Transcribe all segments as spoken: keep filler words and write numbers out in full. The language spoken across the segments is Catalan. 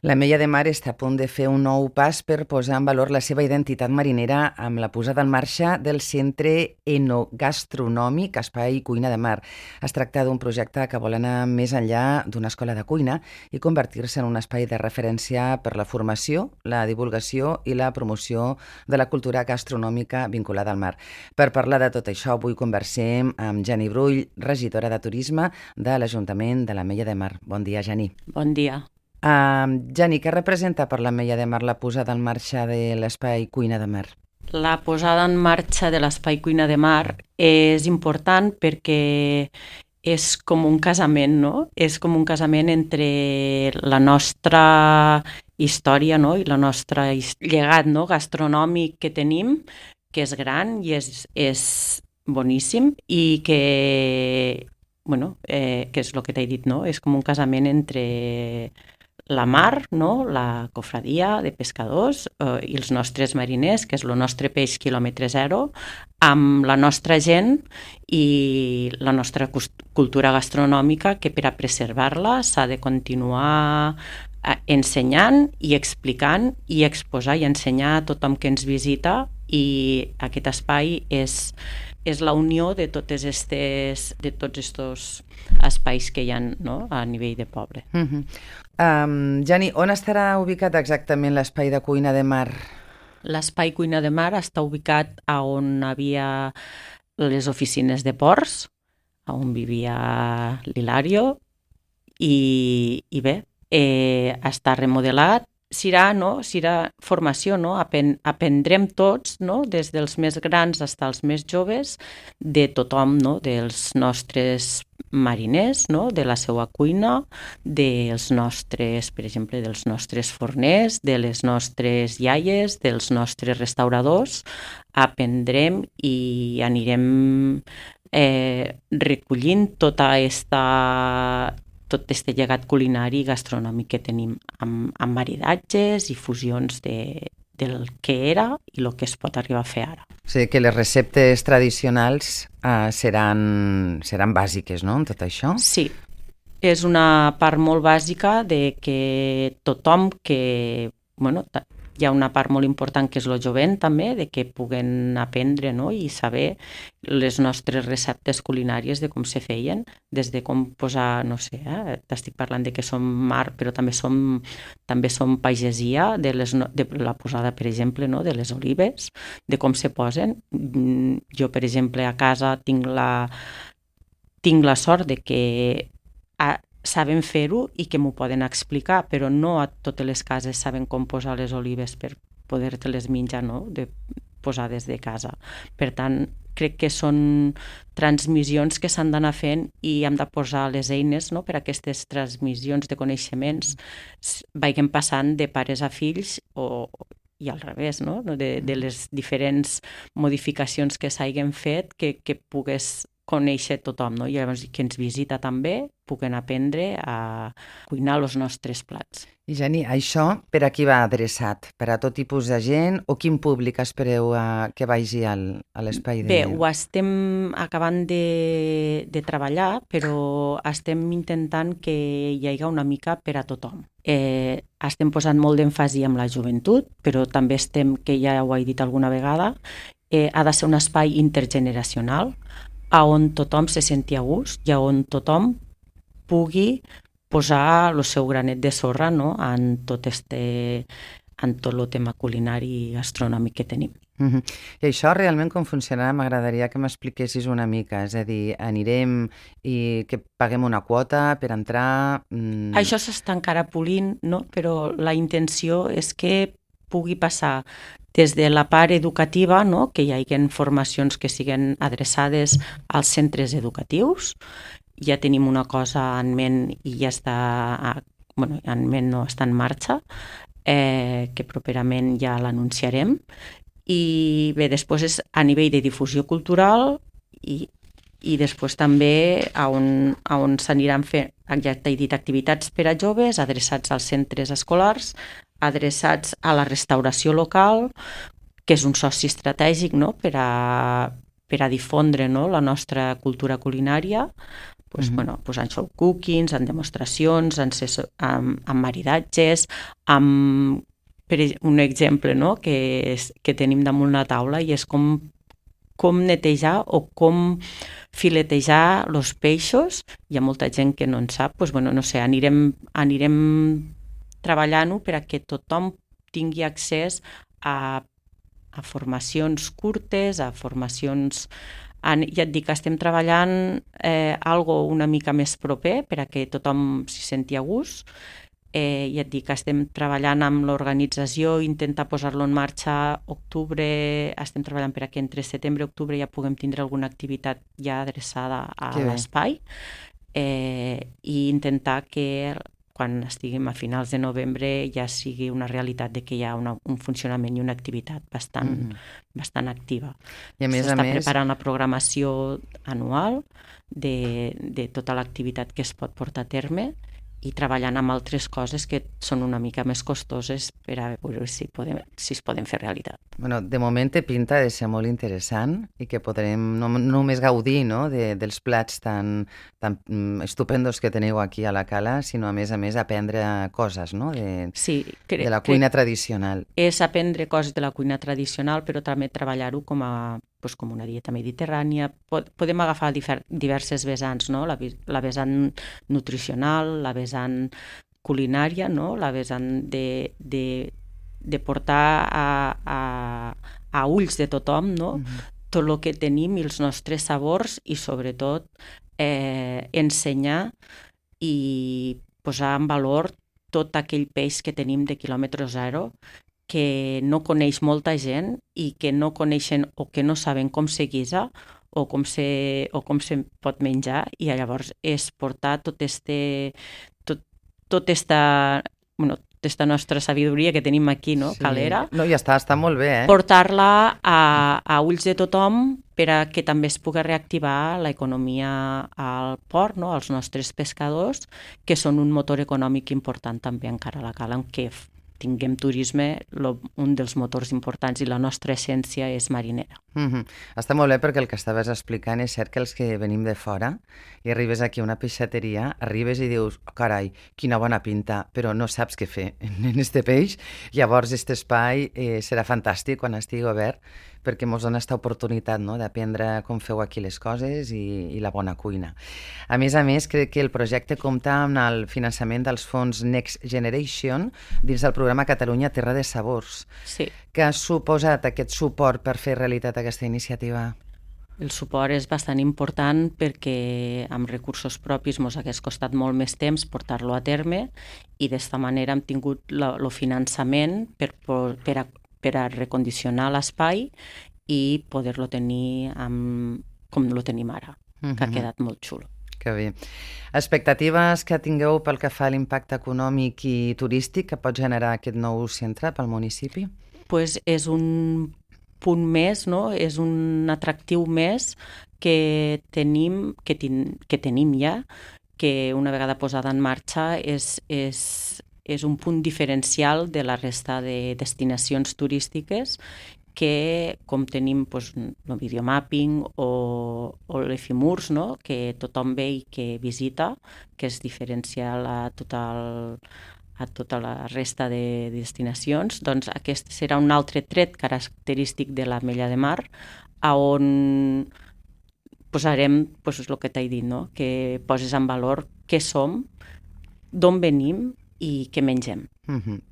L'Ametlla de Mar està a punt de fer un nou pas per posar en valor la seva identitat marinera amb la posada en marxa del Centre Enogastronòmic Espai Cuina de Mar. Es tracta d'un projecte que vol anar més enllà d'una escola de cuina i convertir-se en un espai de referència per la formació, la divulgació i la promoció de la cultura gastronòmica vinculada al mar. Per parlar de tot això, avui conversem amb Jani Brull, regidora de Turisme de l'Ajuntament de l'Ametlla de Mar. Bon dia, Jani. Bon dia. Uh, Jani, què representa per l'Ametlla de Mar la posada en marxa de l'Espai Cuina de Mar? La posada en marxa de l'Espai Cuina de Mar és important perquè és com un casament, no? És com un casament entre la nostra història, no? I la nostra llegat, no? Gastronòmic que tenim, que és gran i és, és boníssim i que, bueno, eh, que és el que t'he dit, no? És com un casament entre la mar, no? La cofradia de pescadors eh, i els nostres mariners, que és el nostre peix quilòmetre zero, amb la nostra gent i la nostra cultura gastronòmica, que per a preservar-la s'ha de continuar ensenyant i explicant i exposar i ensenyar a tothom que ens visita, i aquest espai és, és la unió de, totes estes, de tots aquests espais que hi ha, no? A nivell de poble. Uh-huh. Um, Jani, on estarà ubicat exactament l'Espai de Cuina de Mar? L'Espai Cuina de Mar està ubicat a on havia les oficines de ports, on vivia l'Hilario, i, i bé, eh, està remodelat. Serà, no? Serà formació, no? Apen, aprendrem tots, no? Des dels més grans fins als més joves, de tothom, no? Dels nostres mariners, no? De la seva cuina, dels nostres, per exemple, dels nostres forners, de les nostres iaies, dels nostres restauradors. Aprendrem i anirem eh, recollint tota aquesta tot aquest llegat culinari i gastronòmic que tenim, amb, amb maridatges i fusions de, del que era i el que es pot arribar a fer ara. O sigui que les receptes tradicionals uh, seran, seran bàsiques, no?, en tot això? Sí, és una part molt bàsica de que tothom que... Bueno, hi ha una part molt important que és el jovent també, de que puguen aprendre, no? I saber les nostres receptes culinàries de com se feien, des de com posar, no sé, eh? T'estic parlant de que som mar, però també som, també som pagesia, de, les, de la posada, per exemple, no? De les olives, de com se posen. Jo, per exemple, a casa tinc la, tinc la sort de que a, saben fer-ho i que m'ho poden explicar, però no a totes les cases saben com posar les olives per poder-te-les menjar, no? De posar des de casa. Per tant, crec que són transmissions que s'han d'anar fent i hem de posar les eines, no? Per a aquestes transmissions de coneixements vagin passant de pares a fills o i al revés, no? De, de les diferents modificacions que s'hagin fet, que, que pugues conèixer tothom, no? I llavors que ens visita també puguen aprendre a cuinar els nostres plats. I Jani, això per a qui va adreçat? Per a tot tipus de gent o quin públic espereu a que vagi al, a l'espai? Bé, ho estem acabant de, de treballar, però estem intentant que hi hagi una mica per a tothom. Eh, estem posant molt d'èmfasi amb la joventut, però també estem, que ja ho he dit alguna vegada, eh, ha de ser un espai intergeneracional, a on tothom se senti a gust i a on tothom pugui posar el seu granet de sorra, no? en tot este, en tot el tema culinari i gastronòmic que tenim. Uh-huh. I això realment com funcionarà? M'agradaria que m'expliquessis una mica, és a dir, anirem i que paguem una quota per entrar... Mm... Això s'està encara polint, no? Però la intenció és que pugui passar des de la part educativa, no? Que hi hagi formacions que siguin adreçades als centres educatius. Ja tenim una cosa en ment i ja està, bueno, en ment no, està en marxa, eh, que properament ja l'anunciarem. I bé, després és a nivell de difusió cultural i, i després també a on, a on s'aniran fent, ja t'he dit, activitats per a joves adreçats als centres escolars, adreçats a la restauració local, que és un soci estratègic, no? per, a, per a difondre, no? La nostra cultura culinària, pues, Mhm. bueno, pues en show cookings, en demostracions, en, ses- en, en maridatges, amb per ej- un exemple, no?, que, és, que tenim damunt la taula i és com, com netejar o com filetejar els peixos. Hi ha molta gent que no en sap, doncs, bueno, no sé, anirem, anirem treballant-ho per a que tothom tingui accés a, a formacions curtes, a formacions... En, ja et dic que estem treballant eh, algo una mica més proper per a que tothom s'hi senti a gust. Eh, ja et dic que estem treballant amb l'organització, intentar posar-lo en marxa octubre, estem treballant per a que entre setembre i octubre ja puguem tindre alguna activitat ja adreçada a Que bé. l'espai, eh, i intentar que quan estiguem a finals de novembre ja sigui una realitat de que hi ha una, un funcionament i una activitat bastant, Mhm. bastant activa. I a més a S'està més, preparant la programació anual de, de tota l'activitat que es pot portar a terme i treballant amb altres coses que són una mica més costoses per a veure si, podem, si es poden fer realitat. bueno, de moment té pinta de ser molt interessant i que podrem no, no només gaudir, no?, de, dels plats tan, tan mm, estupendos que teniu aquí a la Cala, sinó a més a més aprendre coses, no?, de, Sí, cre- de la crec cuina tradicional. és aprendre coses de la cuina tradicional, però també treballar-ho com a doncs, com una dieta mediterrània. Pod podem agafar difer diverses vessants, no? La, la vessant nutricional, la vessant culinària, no? La vessant de, de, de portar a, a, a ulls de tothom, no? Mhm. Tot el que tenim i els nostres sabors i sobretot eh, ensenyar i posar en valor tot aquell peix que tenim de quilòmetre zero que no coneix molta gent i que no coneixen o que no saben com se guisa o com se, o com se pot menjar, i llavors és portar tot este, tot, tot esta, bueno, aquesta nostra sabidoria que tenim aquí, no?, Sí. calera, No, ja està, està molt bé, eh? portar-la a, a ulls de tothom per a que també es pugui reactivar l'economia al port, no?, als nostres pescadors, que són un motor econòmic important també encara a la Cala, en què tinguem turisme, lo, un dels motors importants, i la nostra essència és marinera. Mm-hmm. Està molt bé perquè el que estaves explicant és cert que els que venim de fora i arribes aquí a una peixateria, arribes i dius, oh, carai, quina bona pinta, però no saps què fer en este peix. Llavors, aquest espai eh, serà fantàstic quan estigui obert perquè ens dona aquesta oportunitat, no?, d'aprendre com feu aquí les coses i, i la bona cuina. A més a més, crec que el projecte compta amb el finançament dels fons Next Generation dins del programa Catalunya Terra de Sabors. Sí. Què ha suposat aquest suport per fer realitat aquesta iniciativa? El suport és bastant important perquè amb recursos propis ens hagués costat molt més temps portar-lo a terme, i d'esta manera hem tingut el finançament per, per, a, per a recondicionar l'espai i poder-lo tenir amb, com lo tenim ara, mm-hmm. que ha quedat molt xulo. Que bé. Expectatives que tingueu pel que fa a l'impacte econòmic i turístic que pot generar aquest nou centre pel municipi? Pues és un punt més, no? És un atractiu més que tenim, que, tin, que tenim ja, que una vegada posada en marxa és, és, és un punt diferencial de la resta de destinacions turístiques que, com tenim pues, el videomapping o, o l'Efimurs, no?, que tothom ve i que visita, que és diferencial a tot el, a tota la resta de destinacions, doncs aquest serà un altre tret característic de l'Ametlla de Mar, a on posarem pues, el que t'he dit, no?, que poses en valor què som, d'on venim i què mengem. Mm-hmm.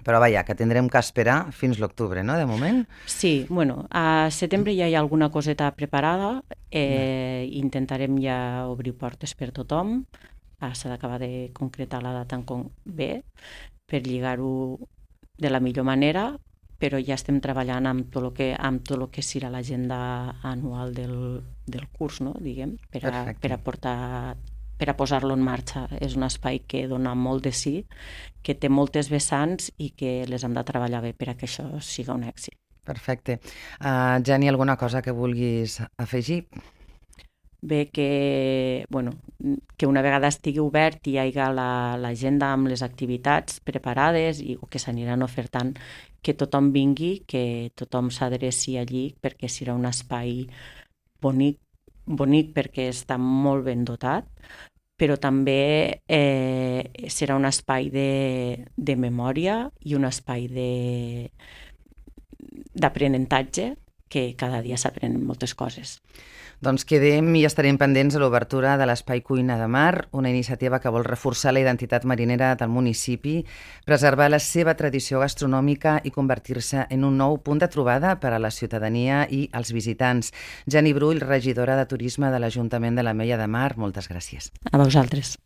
Però vaja, que tindrem que esperar fins l'octubre, no?, de moment? Sí, bueno, a setembre ja hi ha alguna coseta preparada, eh, intentarem ja obrir portes per tothom, s'ha d'acabar de concretar la data en com bé, per lligar-ho de la millor manera, però ja estem treballant amb tot el que, amb tot el que serà l'agenda anual del, del curs, no?, diguem, per a, per a portar... per a posar-lo en marxa. És un espai que dona molt de sí, que té moltes vessants i que les hem de treballar bé per a que això siga un èxit. Perfecte. Uh, Jenny, alguna cosa que vulguis afegir? Bé, que, bueno, que una vegada estigui obert i hi hagi l'agenda la, amb les activitats preparades i, o que s'aniran ofertant, que tothom vingui, que tothom s'adreci allí, perquè serà un espai bonic, bonic perquè està molt ben dotat, però també eh, serà un espai de, de memòria i un espai d'aprenentatge que cada dia s'aprenen moltes coses. Doncs quedem i estarem pendents de l'obertura de l'Espai Cuina de Mar, una iniciativa que vol reforçar la identitat marinera del municipi, preservar la seva tradició gastronòmica i convertir-se en un nou punt de trobada per a la ciutadania i els visitants. Jenny Brull, regidora de Turisme de l'Ajuntament de l'Ametlla de Mar, moltes gràcies. A vosaltres.